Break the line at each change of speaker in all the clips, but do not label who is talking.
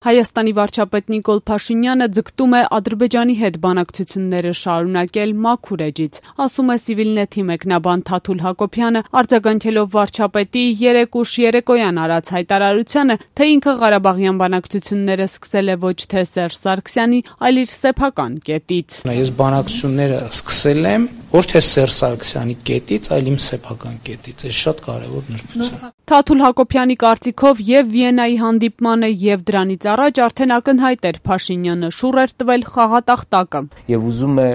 Հայաստանի վարչապետ Նիկոլ Փաշինյանը ձգտում է Ադրբեջանի հետ բանակցությունները շարունակել մաքուր էջից, ասում է Civilnet-ի մեկնաբան Թաթուլ Հակոբյանը, արձագանքելով վարչապետի երեկուշ երեկոյան արած հայտարարությանը, թե ինքը Ղարաբաղյան բանակցությունները սկսել է ոչ թե Սերժ Սարգսյանի, այլ իր սեփական կետից։
Ես բանակցությունները սկսել եմ ոչ թե Սերժ Սարգսյանի կետից, այլ իմ սեփական կետից։ Այս շատ կարևոր նրբություն։
Թաթուլ Հակոբյանի կարծիքով եւ Վիեննայի հանդիպմանը եւ դրանից առաջ արդեն ակնհայտ էր Փաշինյանը շուռ էր տվել խաղատախտակը։
Եվ ուզում է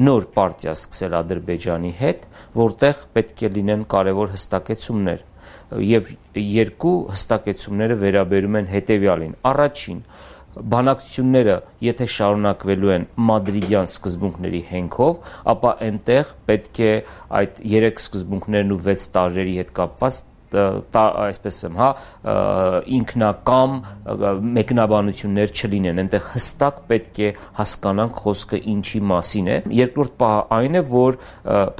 նոր պարտիա սկսել Ադրբեջանի հետ, որտեղ պետք է լինեն կարևոր հստակեցումներ։ Եվ երկու հստակեցումները վերաբերում են հետևյալին. Առաջին, բանակցությունները, եթե շարունակվելու են մադրիդյան սկզբունքների հենքով, ապա այնտեղ պետք է այդ 3 սկզբունքներն ու 6 տարրերի հետ կապված այսպես եմ, ինքնակամ մեկնաբանություններ չլինեն, այնտեղ հստակ պետք է հասկանանք խոսքը ինչի մասին է։ Երկրորդ պահը այն է, որ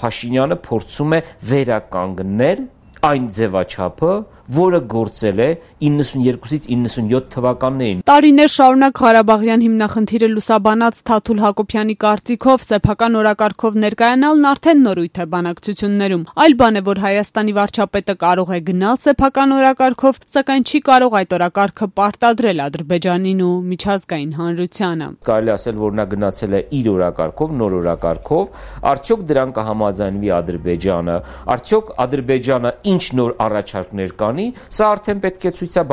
Փաշինյանը փորձում է վերականգնել այն ձևաչափը, որը գործել է 92-ից 97 թվականներին։
Տարիներ շարունակ Ղարաբաղյան հիմնախնդիրը լուսաբանած Թաթուլ Հակոբյանի կարծիքով սեփական օրակարգով ներկայանալն արդեն նորույթ է բանակցություններում։ Այլ բան է, որ Հայաստանի վարչապետը կարող է գնալ սեփական օրակարգով, սակայն չի կարող այդ օրակարգը պարտադրել Ադրբեջանին ու միջազգային հանրությանը։
Կարելի ասել, որ նա գնացել է իր օրակարգով, նոր օրակարգով, արդյոք դրան կհամաձայնվի Ադրբեջանը, արդյոք Ադրբեջանը ինչ նոր առաջարկներ կանի, սա արդեն պետք է ցույց տա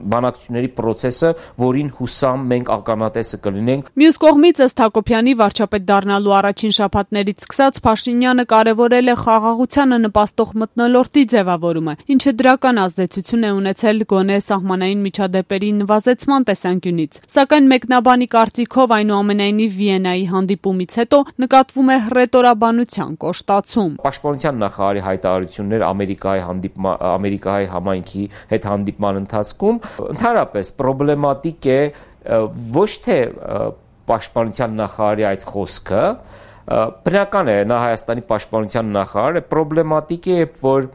բանակցությունների process-ը, որին հուսամ մենք ականատեսը կլինենք։
Մյուս կողմից ըստ Հակոբյանի վարչապետ դառնալու առաջին շաբաթներից սկսած Փաշինյանը կարևորել է խաղաղությանը նպաստող մթնոլորտի ձևավորումը, ինչը դրական ազդեցություն է ունեցել գոնե սահմանային միջադեպերի նվազեցման տեսանկյունից։ Սակայն մեկնաբանի կարծիքով այնուամենայնիվ Վիեննայի հանդիպումից հետո նկատվում է հռետորաբանության կոշտացում։
Պաշտպանության նախարարի հայտարարություններ Ամերիկայի համայնքի հետ հանդիպման ընթացքում ընդհանրապես պրոբլեմատիկ է ոչ թե պաշտպանության նախարարի այդ խոսքը, բնական է, նա Հայաստանի պաշտպանության նախարար է, պրոբլեմատիկ է, որ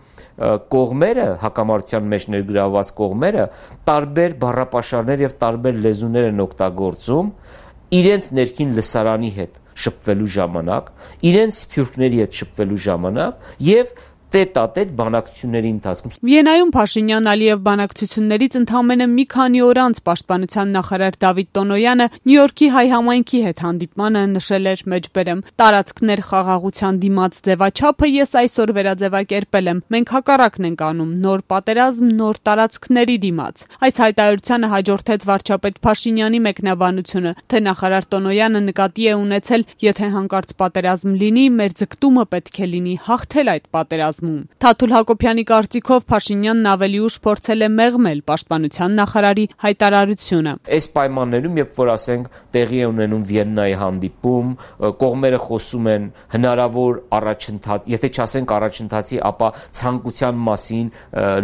կողմերը, հակամարտության մեջ ներգրավված կողմերը տարբեր բառապաշարներ եւ տարբեր լեզուներ են օգտագործում իրենց ներքին լսարանի հետ շփվելու ժամանակ, իրենց սփյուռքների հետ շփվելու ժամանակ եւ տետ-ա-տետ բանակցությունների ընթացքում։
Վիեննայում Փաշինյան-Ալիև բանակցություններից ընդամենը մի քանի օր անց պաշտպանության նախարար Դավիթ Տոնոյանը Նյու Յորքի հայ համայնքի հետ հանդիպմանը նշել էր մեջբերեմ. տարածքներ խաղաղության դիմաց ձևաչափը ես այսօր վերաձևակերպել եմ։ Մենք հակառակն ենք անում, նոր պատերազմ, նոր տարածքների դիմաց։ Այս հայտարարությանը հաջորդեց վարչապետ Փաշինյանի մեկնաբանությունը, թե նախարար Տոնոյանը նկատի է ունեցել, եթե հանկարծ պատերազմ լինի, մեր ձգտումը պետք է լինի հաղթել այդ պատերազմը։ Թաթուլ Հակոբյանի կարծիքով Փաշինյանն ավելի ուշ փորձել է մեղմել պաշտպանության նախարարի հայտարարությունը։
Այս պայմաններում, երբ որ ասենք տեղի է ունենում Վիեննայի հանդիպում, կողմերը խոսում են հնարավոր առաջընթաց, եթե չասենք առաջընթացի, ապա ցանկության մասին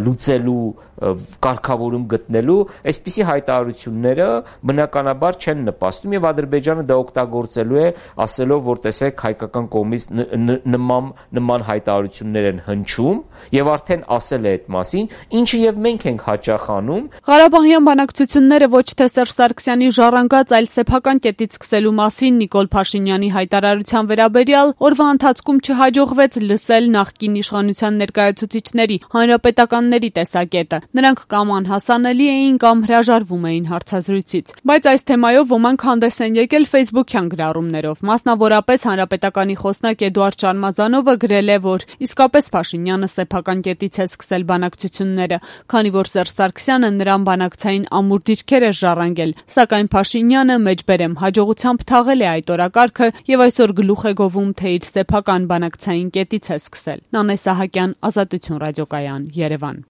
լուծելու կարգավորում գտնելու, այսպիսի հայտարարությունները բնականաբար չեն նպաստում եւ Ադրբեջանը դա օգտագործելու է, ասելով, որ տեսեք հայկական կողմից նման հայտարարություններ են հնչում եւ արդեն ասել է այդ մասին, ինչը եւ մենք ենք հաճախ անում։
Ղարաբաղյան բանակցությունները ոչ թե Սերժ Սարգսյանի ժառանգած, այլ սեփական կետից սկսելու մասին Նիկոլ Փաշինյանի հայտարարության վերաբերյալ օրվա ընթացքում չհաջողվեց լսել նախկին իշխանության ներկայացուցիչների, հանրապետականների տեսակետը։ Նրանք կամ անհասանելի էին, կամ հրաժարվում էին հարցազրույցից։ Բայց այս թեմայով ոմանք հանդես են եկել Facebook-յան գրառումներով։ Մասնավորապես հանրապետականի խոսնակ Էդուարդ Շարմազանովը գրել է, որ իսկապես Փաշինյանը սեփական կետից է սկսել բանակցությունները, քանի որ Սերժ Սարգսյանը նրան բանակցային ամուր դիրքեր է ժառանգել, սակայն Փաշինյանը մեջբերեմ հաջողությամբ թաղել է այդ օրակարգը եւ այսօր գլուխ է գովում, թե իր սեփական բանակցային կետից է սկսել։ Նանե Սահակյան, Ազատություն ռադիոկայան, Երևան։